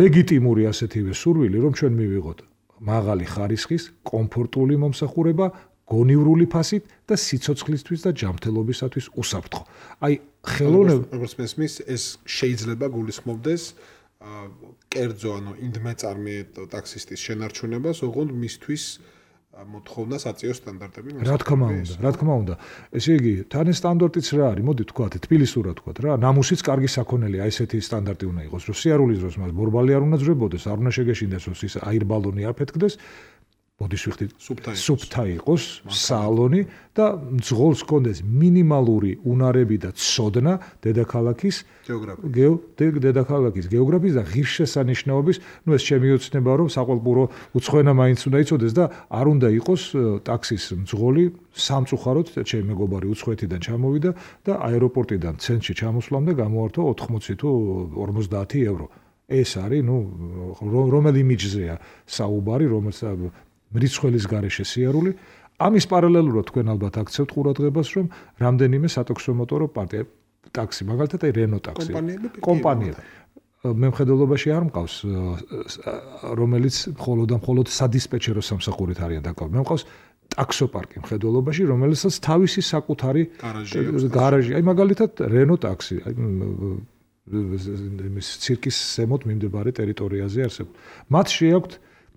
ლეგიტიმური ასეთივე სურვილი რომ ჩვენ მივიღოთ მაღალი ხარისხის, კომფორტული მომსახურება, გონივრული ფასით და სიცოცხლისთვის და ჯანმრთელობისათვის უსაფრთხო. აი ხელოვნება როგორც მესმის ეს შეიძლება გულისხმობდეს კერძო ანუ ინდმეწარმე ტაქსისტის შენარჩუნებას, ოღონდ მისთვის მოთხოვნა საწიო სტანდარტები. რა თქმა უნდა. ესე იგი, თან ეს სტანდარტიც რა არის? მოდი თქვათ, თბილისურად თქვათ რა, ნამუსიც კარგი საქონელია, ესეთი სტანდარტი უნდა იყოს, რომ სიარულის დროს მას ბორბალი არ უნდა ძრებოდეს, არ უნდა შეგეშინდეს, რომ ის აირბალონი არ ფეთქდეს. ბოდის ვიხდით სუფთა იყოს სალონი და მძღოლს კონდეს მინიმალური უნარები და ცოდნა დედაქალაქის გეოგრაფიის და ღირსშესანიშნაობის, ეს ჩემი ოცნება რომ საყვალპურო უცხოენა მაინც უნდა იცოდეს და არ უნდა იყოს ტაქსის მძღოლი სამწუხაროდ ჩემი მეგობარი უცხოეთიდან ჩამოვიდა და აეროპორტიდან ცენტრში ჩამოსვლამდე გამოართვა 80 თუ 50 евро. ეს არის, რომელი იმიჯზეა საუბარი, რომელსაც მრიცხველის გარეშე სიარული. ამის პარალელურად თქვენ ალბათ აქცევთ ყურადღებას, რომ რამდენიმე სატაქსომოტორო ტაქსი, მაგალითად რენო ტაქსი, კომპანიები მემხედველობაში არ მყავს, რომელიც მხოლოდ სადისპეჩერო სამსახურით არიან დაკავებული. მყავს ტაქსოპარკი მხედველობაში, რომელსაც თავისი საკუთარი გარაჟი, აი მაგალითად რენო ტაქსი, იმის ცირკის ზემოთ მიმდებარე ტერიტორიაზე არსებული. მათ შეაქვთ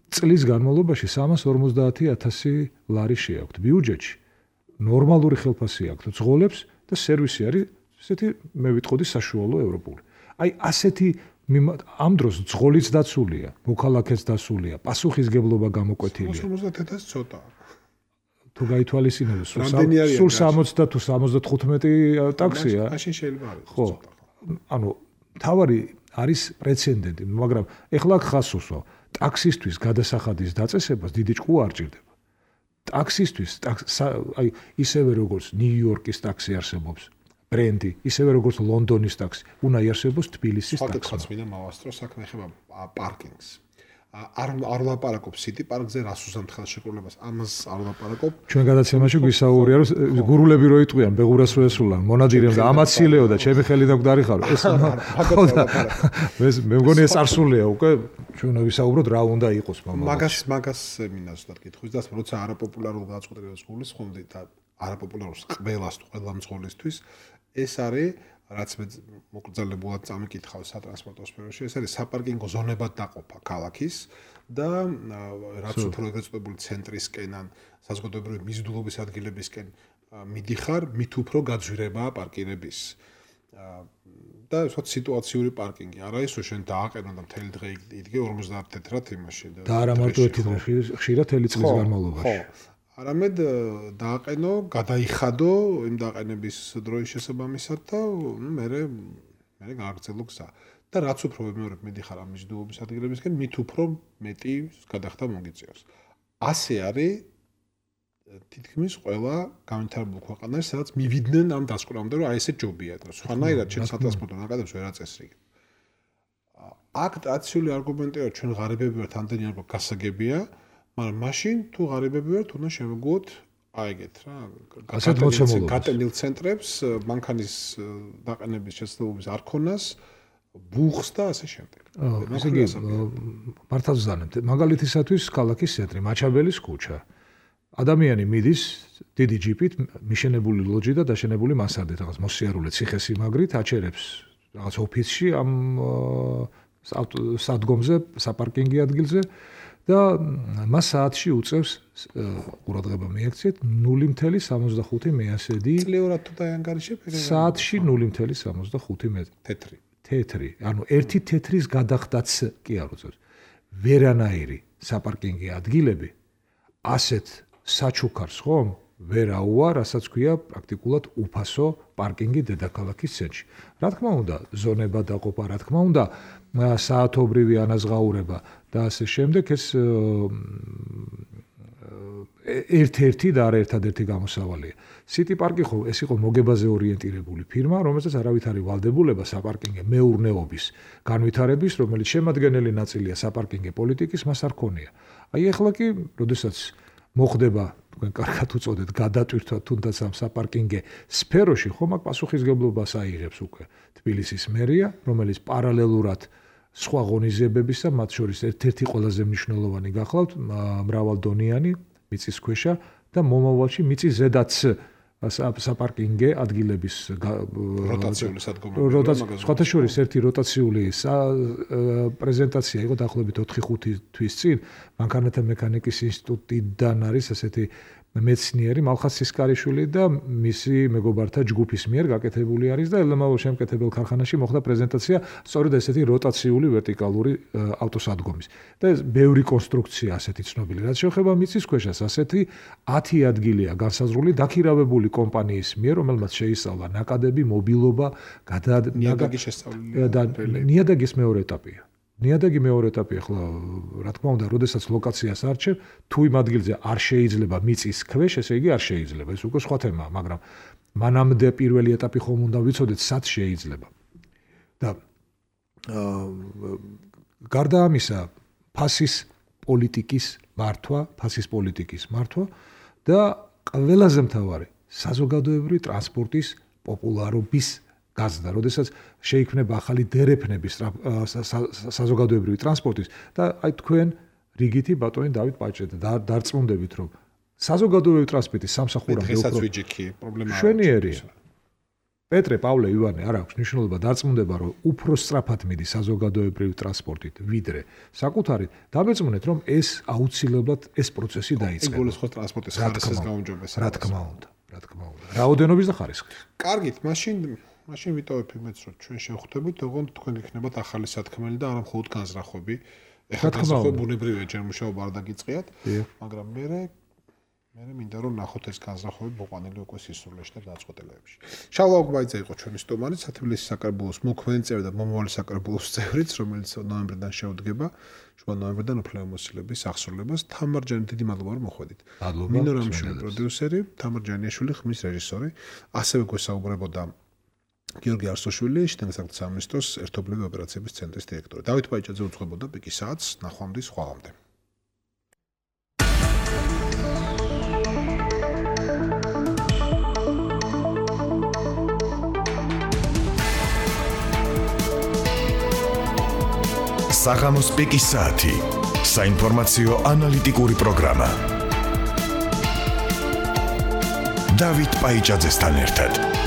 წლის განმავლობაში 350,000 ლარი შეაქვთ ბიუჯეტში. ნორმალური ხელფასი აქვთ ძღოლებს და სერვისი არის ესეთი მე ვიტყოდი საშუალო ევროპული. აი ასეთი ამ დროს ძღოლიც დაცულია, მოქალაქეც დაცულია, პასუხისგებლობა გამოკვეთილია. 50,000 ცოტა. თუ გაითვალისწინებთ, სულ 60 თუ 75 ტაქსია. მაშინ შეიძლება არის. ხო. ანუ თავარი არის პრეცედენტი, მაგრამ ეხლა ხასუსო ტაქსისთვის გადასახადის დაწესებას დიდი ჭკუა არ ჭირდება. ტაქსისთვის აი ისევე როგორც ნიუ-იორკის ტაქსი არსებობს, ბრენდი, ისევე როგორც ლონდონის ტაქსი, უნდა იარსებოს თბილისის ტაქსი. საკითხიც მინდა მავასწრო, საქმე ეხება პარკინგს. არ ვლაპარაკობ სიტი პარკზე, რას უსამთ ხელშეკრულებას, ამას არ ვლაპარაკობ. ჩვენ გადაცემაში გვისაუბრია, რომ გურულები რო იტყვიან, ბეღურას რო ესულან, მონადირემ და ამაცილეო და ჩემი ხელი დაგვდარიხარო. ეს მე მგონი ეს არ სულია უკვე, ჩვენ ვისაუბროთ რა უნდა იყოს მაგას მინდა ზუსტად კითხვის და როცა არაპოპულარულ გაწყვეტილებას გულის ხომდი და არაპოპულარულს ყველას ყველა მძღოლისთვის ეს არის რაც მე მოკრძალებულად წამიკითხავ სატრანსპორტო სფეროში, ეს არის საპარკინგო ზონებად დაყოფა ქალაქის და რაც უფრო ეგრეთ წოდებული ცენტრისკენ ან საზოგადოებრივი მიზიდულობის ადგილებისკენ მიდიხარ, მით უფრო გაძვირებაა პარკირების. და ვთქვათ სიტუაციური პარკინგი. არა ის, რომ შენ დააყენო და მთელი დღე იდგე 50 თეთრად იმაში და არა მარტო ერთი დღე, ხშირად მთელი წლის განმავლობაში. არამედ დააყენო, გადაიხადო იმ დაყენების დროის შესაბამისად და მე გააგრძელო გზა. და რაც უფრო მეორებ მიდიხარ ამ მიზიდულობის ადგილებისკენ, მით უფრო მეტი გადახდა მოგიწევს. ასე არის თითქმის ყველა განვითარებულ ქვეყანაში, სადაც მივიდნენ ამ დასკვნამდე, რომ აი ესე ჯობია, და სხვანაირად შენ სატრანსპორტო ნაკადებს ვერ აწესრიგებ. აქ რაციული არგუმენტია, რომ ჩვენ ღარიბები ვართ, ამდენი არ გვაქვს გასაგებია, მაგრამ მაშინ თუ ღარიბები ვართ, უნდა შევეგუოთ აი ეგეთ რა, გატენილ ცენტრებს, მანქანის დაყენების შესაძლებლობის არ ქონას, ბუხს და ასე შემდეგ. ესე იგი, მართალ ვზანებთ, მაგალითისათვის ქალაქის ცენტრი, მაჩაბელის ქუჩა. ადამიანი მიდის დიდი ჯიპით, მიშენებული ლოჯი და დაშენებული მასარდით, რაღაც მოსიარულე ციხესიმაგრით აჩერებს რაღაც ოფისში ამ სადგომზე, საპარკინგი ადგილზე და მას საათში უწევს ყურადღება მიექცეთ 0.75 მეასედი. წლიურად თუ დაანგარიშებ, საათში 0.75 თეთრი. თეთრი, ანუ ერთი თეთრის გადახდაც კი არ უწევს. ვერანაირი საპარკინგი ადგილები ასეთ საჩუქარს ხომ ვერ აუარ, რასაც ქვია პრაქტიკულად უფასო პარკინგი დედაქალაქის ცენტრში. რა თქმა უნდა, ზონება დაყოფა, რა თქმა უნდა, საათობრივი ანაზღაურება და ასე შემდეგ ეს ერთ-ერთი და არა ერთადერთი გამოსავალია. City Park ეს იყო მოგებაზე ორიენტირებული ფირმა, რომელსაც არავით არის ვალდებულება საპარკინგე მეურნეობის განვითარების, რომელიც შემადგენელი ნაწილია საპარკინგე პოლიტიკის, მას არ ქონია. აი ახლა კი, როდესაც მოხდება თქვენ კარგად უწოდეთ გადატვირთვა თუნდაც ამ საპარკინგე სფეროში, ხომ აქ პასუხისგებლობას აიღებს უკვე თბილისის მერია, რომელიც პარალელურად სხვა ღონისძიებებისა, მათ შორის ერთ-ერთი ყველაზე მნიშვნელოვანი გახლავთ მრავალდონიანი მიწისქვეშა და მომავალში მიწის ზედაც საპარკინგე ადგილების როტაციული სადგომები. სხვათაშორის ერთი როტაციული პრეზენტაცია იყო დაახლოებით 4-5 თვის წინ მანქანათა მექანიკის ინსტიტუტიდან არის ასეთი მეცნიერი მალხაზ სისკარიშვილი და მისი მეგობართა ჯგუფის მიერ გაკეთებული არის და ელემაურ შემკეთებელ ქარხანაში მოხდა პრეზენტაცია სწორედ ესეთი როტაციული ვერტიკალური ავტოსადგომის. და ეს ბევრი კონსტრუქცია ასეთი ცნობილი. რაც შეეხება მიწისქვეშას, ასეთი 10 ადგილია განსაზღვრული დაქირავებული კომპანიის მიერ, რომელმაც შეისწავლა ნაკადები, მობილობა, ნიადაგის შესწავლილი და ნიადაგის მეორე ეტაპია. ნიადაგი მეორე ეტაპი ახლა რა თქმა უნდა, როდესაც ლოკაციას არჩევ, თუ იმ ადგილზე არ შეიძლება მიწის ქვეშ, ესე იგი არ შეიძლება. ეს უკვე სხვა თემაა, მაგრამ მანამდე პირველი ეტაპი ხომ უნდა ვიცოდეთ, სად შეიძლება. და გარდა ამისა, ფასის პოლიტიკის მართვა და ყველაზე მთავარი, საზოგადოებრივი ტრანსპორტის პოპულარობის გაზრდა, როდესაც შეიქმნება ახალი დერეფნები საზოგადოებრივი ტრანსპორტის და აი თქვენ რიგითი ბატონი დავით პაჭეთ და დარწმუნდებით, რომ საზოგადოებრივი ტრანსპორტის სამსახურამდე უფრო პრობლემაა. შვენიერია. პეტრე, პავლე, ივანე, არ აქვს მნიშვნელობა, დარწმუნდება, რომ უფრო სწრაფად მიდი საზოგადოებრივი ტრანსპორტით, ვიდრე საკუთარით, დამეწმუნეთ, რომ ეს აუცილებლად ეს პროცესი დაიწყება. ეგულისხმოს ტრანსპორტის ხარისხის გაუმჯობესება. რა თქმა უნდა. რაოდენობის და ხარისხის. კარგით, მაშინ ვიტოვებ იმედს, რომ ჩვენ შევხვდებით, თქო თქვენ იქნებათ ახალი სათქმელი და არა მხოლოდ განზრახვები. ეხლა განზრახვები ბუნებრივია, ჯერ მუშაობა არ დაგიწყიათ, მაგრამ მე მინდა რომ ნახოთ ეს განზრახვები მოყვანილი უკვე სისრულეში და დაწყვეტილებებში. შალვა ოგვაიძე იყო ჩვენი სტუმარი, სათბილისის საკრებულოს მოქმედი და მომავალი საკრებულოს წევრიც, რომელიც ნოემბრიდან შეუდგება, შუა ნოემბრიდან უფლებამოსილების აღსრულებას. თამარ ჯანი, დიდი მადლობა რომ მოხვედით. მინო რამიშვილი პროდიუსერი, თამარ ჯანიაშვილი ხმის რეჟისორი, ასევე გვესაუბრებოდა გიორგი არსოშვილი, შინაგან სამინისტროს ერთობლივი ოპერაციების ცენტრის დირექტორი. დავით პაიჭაძე უძღვებოდა პიკის საათს, ნახვამდის ხვალამდე. საღამოს პიკის საათი, საინფორმაციო ანალიტიკური პროგრამა. დავით პაიჭაძესთან ერთად.